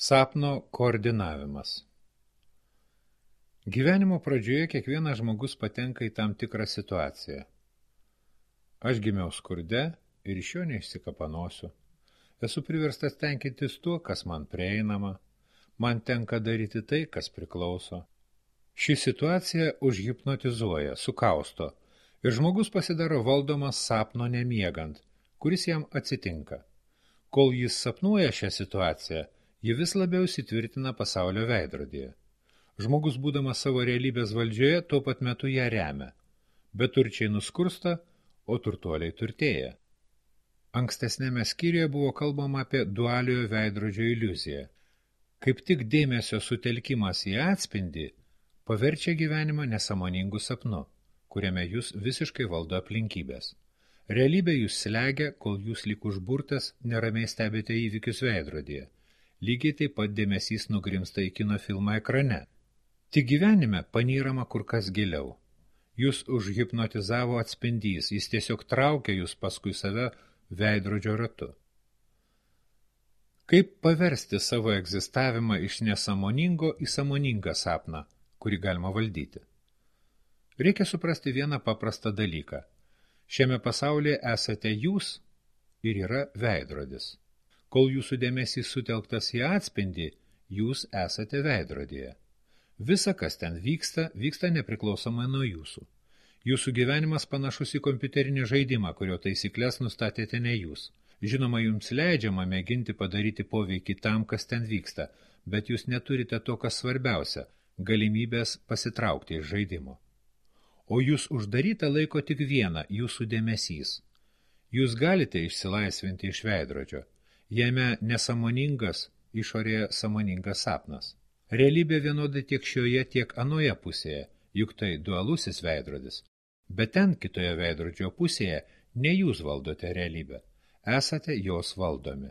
Sapno koordinavimas. Gyvenimo pradžioje kiekvienas žmogus patenka į tam tikrą situaciją. Aš gimiau skurde ir iš jo neišsikapanosiu. Esu priverstas tenkintis tuo, kas man prieinama. Man tenka daryti tai, kas priklauso. Ši situacija užhipnotizuoja, sukausto ir žmogus pasidaro valdomas sapno nemiegant, kuris jam atsitinka. Kol jis sapnuoja šią situaciją, ji vis labiau įsitvirtina pasaulio veidrodyje. Žmogus, būdamas savo realybės valdžioje, tuo pat metu ją remia. Beturčiai nuskursta, o turtuoliai turtėja. Ankstesnėme skyriuje buvo kalbama apie dualiojo veidrodžio iliuziją. Kaip tik dėmesio sutelkimas į atspindį paverčia gyvenimą nesąmoningų sapnu, kuriame jūs visiškai valdo aplinkybės. Realybė jūs slegia, kol jūs lyg užburtas neramiai stebite įvykius veidrodyje. Lygiai taip pat dėmesys nugrimsta į kino filmą ekrane. Tik gyvenime panyrama kur kas giliau. Jūs užhipnotizavo atspindys, jis tiesiog traukia jūs paskui save veidrodžio ratu. Kaip paversti savo egzistavimą iš nesąmoningo į sąmoningą sapną, kurį galima valdyti? Reikia suprasti vieną paprastą dalyką. Šiame pasaulyje esate jūs ir yra veidrodis. Kol jūsų dėmesys sutelktas į atspindį, jūs esate veidrodyje. Visa, kas ten vyksta, vyksta nepriklausomai nuo jūsų. Jūsų gyvenimas panašus į kompiuterinį žaidimą, kurio taisyklės nustatėte ne jūs. Žinoma, jums leidžiama mėginti padaryti poveikį tam, kas ten vyksta, bet jūs neturite to, kas svarbiausia – galimybės pasitraukti iš žaidimo. O jūs uždaryta laiko tik vieną – jūsų dėmesys. Jūs galite išsilaisvinti iš veidrodžio. Jame nesąmoningas, išorėje sąmoningas sapnas. Realybė vienodai tiek šioje, tiek anoje pusėje, juk tai dualusis veidrodis. Bet ten kitoje veidrodžio pusėje ne jūs valdote realybę, esate jos valdomi.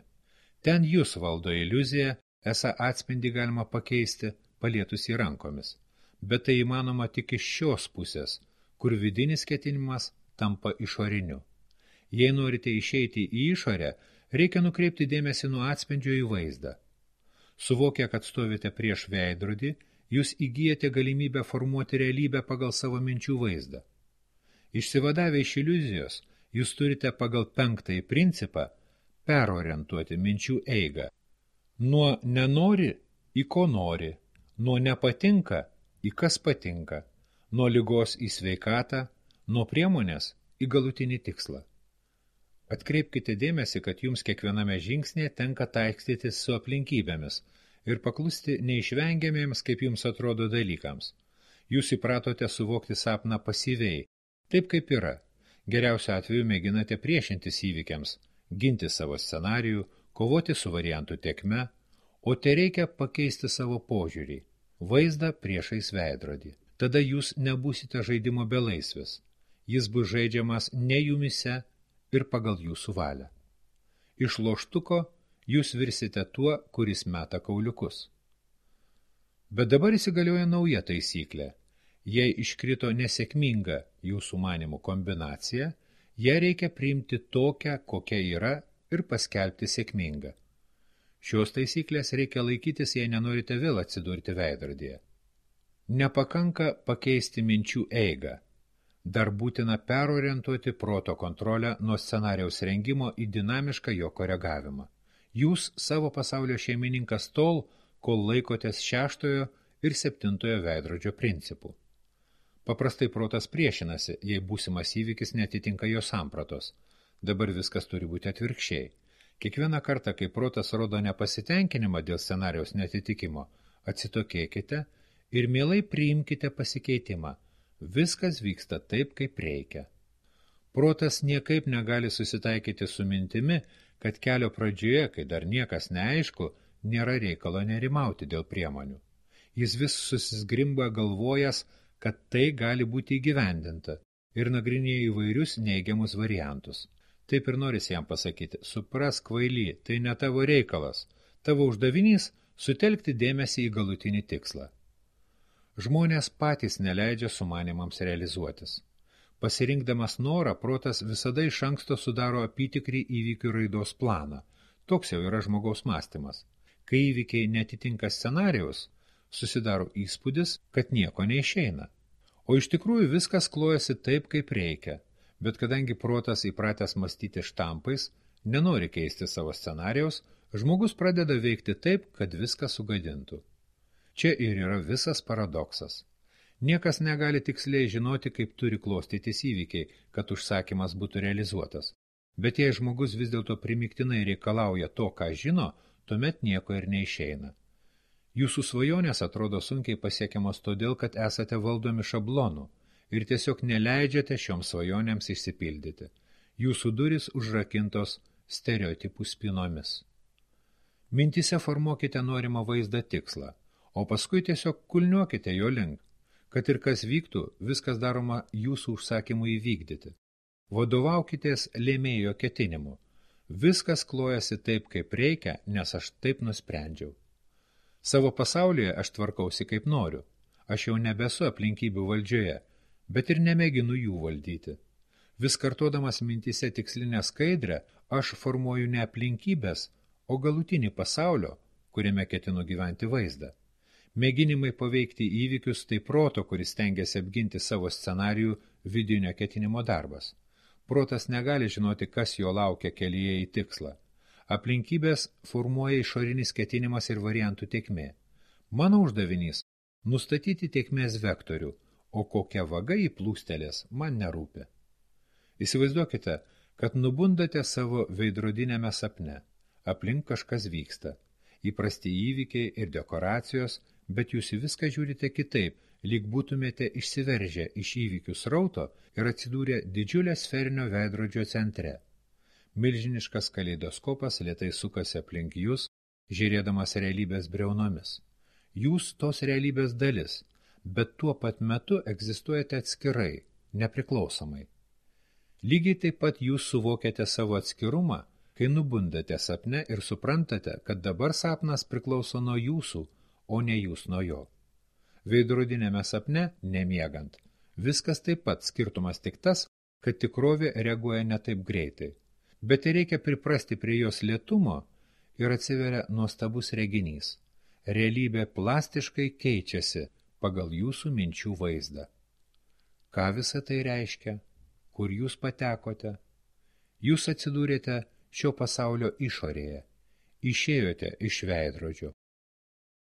Ten jūs valdo iliuziją, esą atspindį galima pakeisti, palietus į rankomis. Bet tai įmanoma tik iš šios pusės, kur vidinis ketinimas tampa išoriniu. Jei norite išeiti į išorę, reikia nukreipti dėmesį nuo atspindžio į vaizdą. Suvokę, kad stovite prieš veidrodį, jūs įgyjate galimybę formuoti realybę pagal savo minčių vaizdą. Išsivadavę iš iliuzijos, jūs turite pagal 5 principą perorientuoti minčių eigą. Nuo nenori į ko nori, nuo nepatinka į kas patinka, nuo ligos į sveikatą, nuo priemonės į galutinį tikslą. Atkreipkite dėmesį, kad jums kiekviename žingsnėje tenka taikstytis su aplinkybėmis ir paklusti neišvengiamiems, kaip jums atrodo, dalykams. Jūs įpratote suvokti sapną pasyviai, taip kaip yra. Geriausiu atveju mėginate priešintis įvykiams, ginti savo scenarijų, kovoti su variantų tėkme, o tereikia pakeisti savo požiūrį, vaizdą priešais veidrodį. Tada jūs nebūsite žaidimo belaisvis. Jis bus žaidžiamas ne jumise, ir pagal jūsų valią. Iš loštuko jūs virsite tuo, kuris meta kauliukus. Bet dabar įsigalioja nauja taisyklė. Jei iškrito nesėkminga jūsų manimų kombinacija, ją reikia priimti tokią, kokia yra ir paskelbti sėkmingą. Šios taisyklės reikia laikytis, jei nenorite vėl atsidurti veidrodyje. Nepakanka pakeisti minčių eigą. Dar būtina perorientuoti proto kontrolę nuo scenarijaus rengimo į dinamišką jo koregavimą. Jūs savo pasaulio šeimininkas tol, kol laikotės 6 ir 7 veidrodžio principų. Paprastai protas priešinasi, jei būsimas įvykis netitinka jo sampratos. Dabar viskas turi būti atvirkščiai. Kiekvieną kartą, kai protas rodo nepasitenkinimą dėl scenarijaus netitikimo, atsitokėkite ir mielai priimkite pasikeitimą. Viskas vyksta taip, kaip reikia. Protas niekaip negali susitaikyti su mintimi, kad kelio pradžioje, kai dar niekas neaišku, nėra reikalo nerimauti dėl priemonių. Jis vis susizgrimba galvojas, kad tai gali būti įgyvendinta ir nagrinėja įvairius neigiamus variantus. Taip ir norisi jam pasakyti, suprask kvaily, tai ne tavo reikalas. Tavo uždavinys – sutelkti dėmesį į galutinį tikslą. Žmonės patys neleidžia sumanimams realizuotis. Pasirinkdamas norą, protas visada iš anksto sudaro apytikrį įvykių raidos planą. Toks jau yra žmogaus mąstymas. Kai įvykiai netitinka scenarijaus, susidaro įspūdis, kad nieko neišeina. O iš tikrųjų viskas klojasi taip, kaip reikia, bet kadangi protas įpratęs mąstyti štampais, nenori keisti savo scenarijaus, žmogus pradeda veikti taip, kad viską sugadintų. Čia ir yra visas paradoksas. Niekas negali tiksliai žinoti, kaip turi klostytis įvykiai, kad užsakymas būtų realizuotas. Bet jei žmogus vis dėlto primiktinai reikalauja to, ką žino, tuomet nieko ir neišeina. Jūsų svajonės atrodo sunkiai pasiekiamos todėl, kad esate valdomi šablonų ir tiesiog neleidžiate šioms svajonėms išsipildyti. Jūsų durys užrakintos stereotipų spinomis. Mintise formuokite norimą vaizdą tikslą, o paskui tiesiog kulniuokite jo link, kad ir kas vyktų, viskas daroma jūsų užsakymų įvykdyti. Vadovaukitės lėmėjo ketinimu. Viskas klojasi taip, kaip reikia, nes aš taip nusprendžiau. Savo pasaulyje aš tvarkausi kaip noriu. Aš jau nebesu aplinkybių valdžioje, bet ir nemėginu jų valdyti. Vis kartodamas mintise tikslinę skaidrę, aš formuoju ne aplinkybės, o galutinį pasaulio, kuriame ketinu gyventi vaizdą. Mėginimai paveikti įvykius tai proto, kuris stengiasi apginti savo scenarijų vidinio ketinimo darbas. Protas negali žinoti, kas jo laukia kelyje į tikslą. Aplinkybės formuoja išorinis ketinimas ir variantų tėkmė. Mano uždavinys – nustatyti tėkmės vektorių, o kokia vaga į plūstelės man nerūpi. Įsivaizduokite, kad nubundate savo veidrodinėme sapne. Aplink kažkas vyksta. Įprasti įvykiai ir dekoracijos, bet jūs į viską žiūrite kitaip, lyg būtumėte išsiveržę iš įvykių srauto ir atsidūrę didžiulio sferinio veidrodžio centre. Milžiniškas kaleidoskopas lėtai sukasi aplink jūs, žiūrėdamas realybės briaunomis. Jūs tos realybės dalis, bet tuo pat metu egzistuojate atskirai, nepriklausomai. Lygiai taip pat jūs suvokiate savo atskirumą, kai nubundate sapne ir suprantate, kad dabar sapnas priklauso nuo jūsų, o ne jūs nuo jo. Veidrodinėme sapne, nemiegant, viskas taip pat, skirtumas tik tas, kad tikrovė reaguoja ne taip greitai. Bet reikia priprasti prie jos lėtumo ir atsiveria nuostabus reginys. Realybė plastiškai keičiasi pagal jūsų minčių vaizdą. Ką visa tai reiškia? Kur jūs patekote? Jūs atsidūrėte šio pasaulio išorėje, išėjote iš veidrodžio.